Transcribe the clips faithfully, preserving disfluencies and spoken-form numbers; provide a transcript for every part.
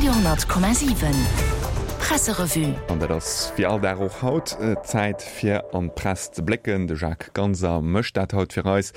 Radio honnert Komma siwen Presserevue. An dat ass wéi all Dag och haut Zäit fir an d'Press ze blécken. De Jacques Ganser mécht dat haut fir eis.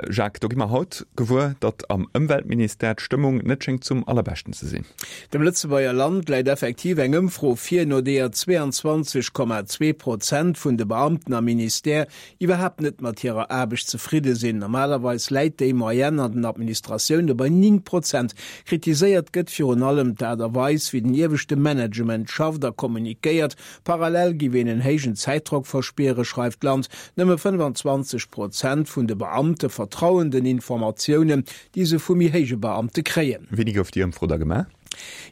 Jacques, do gi mer haut gewuer, datt am Ëmweltministère d'Stëmmung net schéngt zum allerbeschten ze sinn. Dem Lëtzebuerger Land läit effektiv eng Ëmfro vir, no deeër zwee an zwanzeg Komma zwee Prozent vun de Beamten am Ministère iwwerhaapt net mat hirer Aarbecht zefridde sinn. Normalerweis läit déi Moyenne an den Administratioune bei néng Prozent. Kritiséiert gëtt virun allem d'Aart a Weis, wéi den ieweschte Management schafft a kommunikéiert. Parallel giff een en héijen Zäitdrock verspieren, schreift d'Land. Nëmme fënnfanzwanzeg Prozent vun de Beamte vertrauen den Informatiounen, déi se vu méi héije Beamte kréien. Wéini gouf déi Ëmfro da gemaach?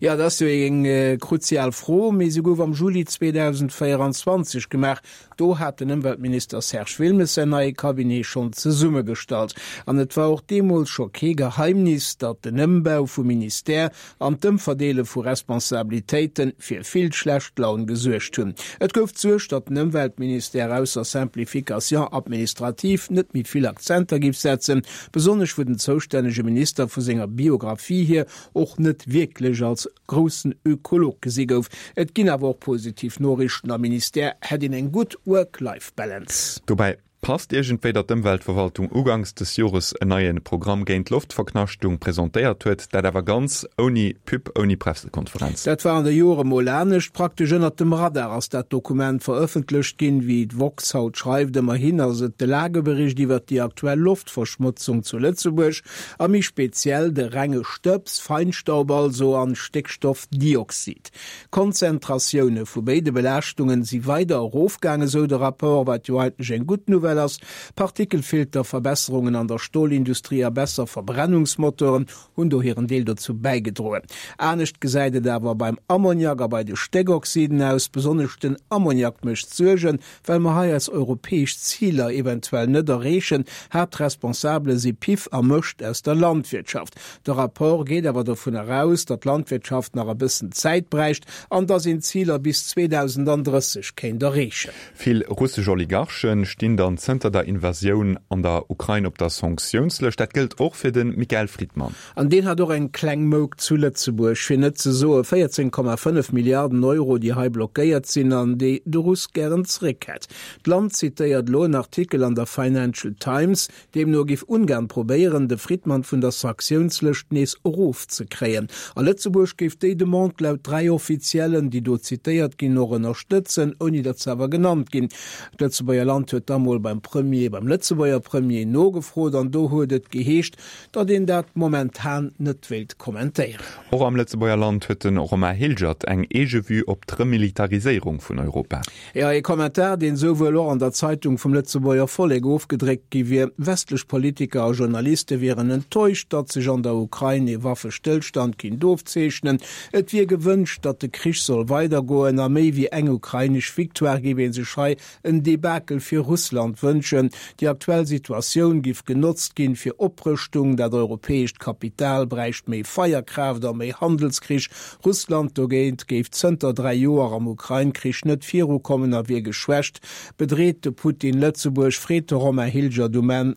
Jo, dat ass jo eng kruzial Fro, mee se gouf am Juli zweedausendvéieranzwanzeg gemaach. Do hat den Ëmweltminister Serge Wilmes säin neie Cabinet schonn zesummegestallt. An et war och deemools scho kee Geheimnis, datt den Ëmbau vum Ministère an d'Ëmverdeele vu Responsabilitéite fir vill schlecht Laun gesuergt hunn. Et gouf d'Suerg, datt den Ëmweltministère ausser Simplification administrative net méi vill Akzenter giff setzen, besonnesch wou den zoustännege Minister vu senger Biographie hier och net wierklech als groussen Ökolog gesi gouf. Et ginn awer och positiv Noriichten, Am Ministère hätt een eng gutt Work-Life-Balance. Dobäi passt iergendwéi, datt d'Ëmweltverwaltung uganks des Jores en neie Programm géint d'Loftverknaschtung presentéiert huet, dat awer ganz ouni Pub, ouni Pressekonferenz. Dat war an de Jore mol anescht. Praktesch ënnert dem Radar ass dat Dokument verëffentlecht ginn, wéi d'woxx haut schreift. Ëmmerhin ass et de Lagebericht iwwert déi aktuell Loftverschmotzung zu Lëtzebuerg a méi speziell de renge Stëbs, Feinstaub also, an Stéckstoffdioxid. D'Konzentratioune vu béide Belaaschtungen si weider erofgaangen, esou de Rapport, wat jo eigentlech eng gutt Nouvelle ass. Partikelfilterverbesserungen an der Stolindustrie a besser Verbrennungsmotoren hunn do hiren Deel dozou bäigedroen. Anescht gesäit et awer beim Ammoniak a bei de Stéckoxiden aus. Besonnesch den Ammoniak mécht Suergen, well mer hei eis europäesch Ziler eventuell net erreechen. Haaptresponsabele si Piff a Mëscht aus der Landwirtschaft. De Rapport geet awer dovunner aus, datt d'Landwirtschaft nach e bëssen Zäit bräicht an datt een d'Ziler bis zweedausenddrësseg kéint erreechen. Vill russesch Oligarchen stinn dann zënter der Invasioun an der Ukrain op der Sanktiounslëscht. Dat gëllt och fir de Michael Fridman. An deen hat och eng kleng Mouk zu Lëtzebuerg, fir net ze soe véierzéng Komma fënnef Milliarden Euro, déi hei blockéiert sinn an déi de Russ gären zeréck hätt. D'Land zitéiert elo en Artikel an der Financial Times, deemno géif Ungarn probéieren, de Fridman vun der Sanktiounslëscht nees erofzekréien. A Lëtzebuerg géif déi Demande laut dräi Offiziellen, déi do zitéiert ginn, och ënnerstëtzen, ouni datt se awer genannt ginn. D'Lëtzebuerger Land huet da mol beim Premier, beim Lëtzebuerger Premier nogefrot an do huet et geheescht, datt een dat momentan net wéilt kommentéieren. Och am Lëtzebuerger Land huet de Romain Hilgert eng eege Vue op d'Remilitariséierung vun Europa. Jo, ee Kommentar, deen esou wuel och an der Zeitung vum Lëtzebuerger Vollek ofgedréckt gi wier. Westlech Politiker a Journaliste wieren enttäuscht, datt sech an der Ukrain ee Waffestëllstand kinnt ofzeechnen. Et wier gewënscht, datt de Krich soll weidergoen a méi wéi eng ukrainesch Victoire géif ee sech hei en Debakel fir Russland wënschen. Déi aktuell Situatioun giff genotzt ginn fir Oprëschtung, dat europäescht Kapital bräicht méi Feierkraaft a méi Handelskrich. Russland dogéint géif zënter dräi Joer am Ukrain-Krich net virukommen a wier geschwächt. Bedreet de Putin Lëtzebuerg? Freet de Romain Hilgert um Enn,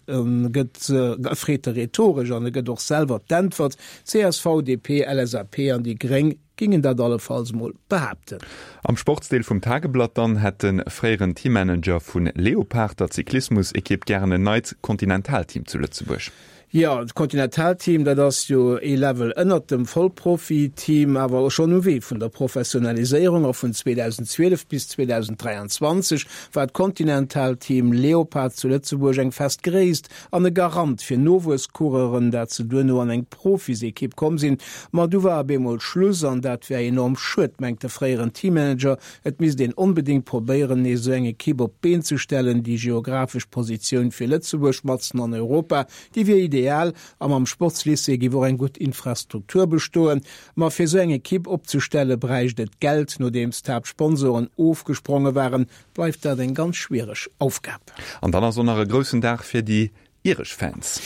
gëtt, freet e rhetoresch an e gëtt och selwer d'Äntwert, csv, D P, L S A P an déi Gréng gingen dat allefalls mol behaapten. Am Sportsdeel vum Tageblatt dann hätt de fréieren Teammanager vu Leopard, der Cyclismus-Ekipp, gären en neit Kontinentalteam zu Lëtzebuerg. Jo, d'Kontinentalteam, dat ass jo ee Level ënnert dem Vollprofi-Team, awer schonn um Wee vun der Professionaliséierung. A vun zweedausendzwielef bis zweedausenddräianzwanzeg war d'Kontinentalteam Leopard zu Lëtzebuerg eng fest Gréisst an e Garant fir Nowuesscoureuren, dat se duerno an eng Profisekipp komm sinn. Ma du war op eemol Schluss an dat wär enorm schued, mengt de fréieren Teammanager. Et misst een onbedéngt probéieren, nees esou eng Ekipp op d'Been ze stellen. Déi geographesch Positioun fir Lëtzebuerg matzen an Europa, déi wier ideal a mam Sportslycée géif och eng gutt Infrastruktur bestoen. Ma fir esou eng Ekipp opzestelle bräicht et Geld. Nodeems d'Haaptsponsoren ofgespronge waren, bleift dat eng ganz schwiereg Aufgab. An dann ass och nach e groussen Dag fir déi iresch Fans.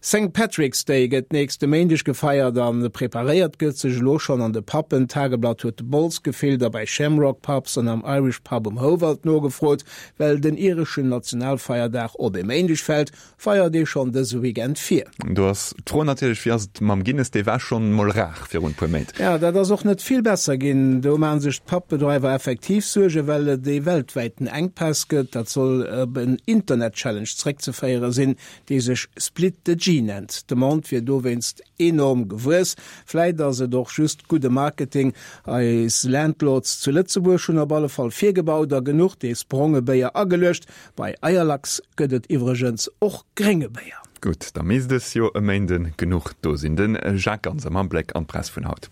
Saint Patrick's Day gëtt nächste Méindeg gefeiert an preparéiert gëtt sech elo schonn an de Puben. D'Tageblatt huet de Bols gefillt a bei Shamrock Pubs an am Irish Pub um Houwald nogefrot. Well den ireschen Nationalfeierdag op e Méindeg fält, feiert ee schonn dëse Weekend vir. Do ass d'Fro natierlech, wéi ass et mam Guinness? Dee war schonn mol rar virun e puer Méint. Jo, dat ass och net vill besser ginn. Do maache sech d'Pub-Bedreiwer effektiv Suergen, well et ee weltwäiten Enkpass gëtt. Dat soll op en Internet-Challenge zréckzeféiere sinn, dee sech Split the G nennt. D'Demande wier dowéinst enorm gewuess. Vläit ass et och just gudde Marketing. Eis Landlords zu Lëtzebuerg hunn op alle Fall virgebaut a genuch dees bronge Béier ageluecht. Bei Eierlachs gëtt et iwwregens och grénge Béier. Gutt, da misst es jo e Méinde genuch do sinn. De Jacques Ganser mam Bléck an d'Press vun haut.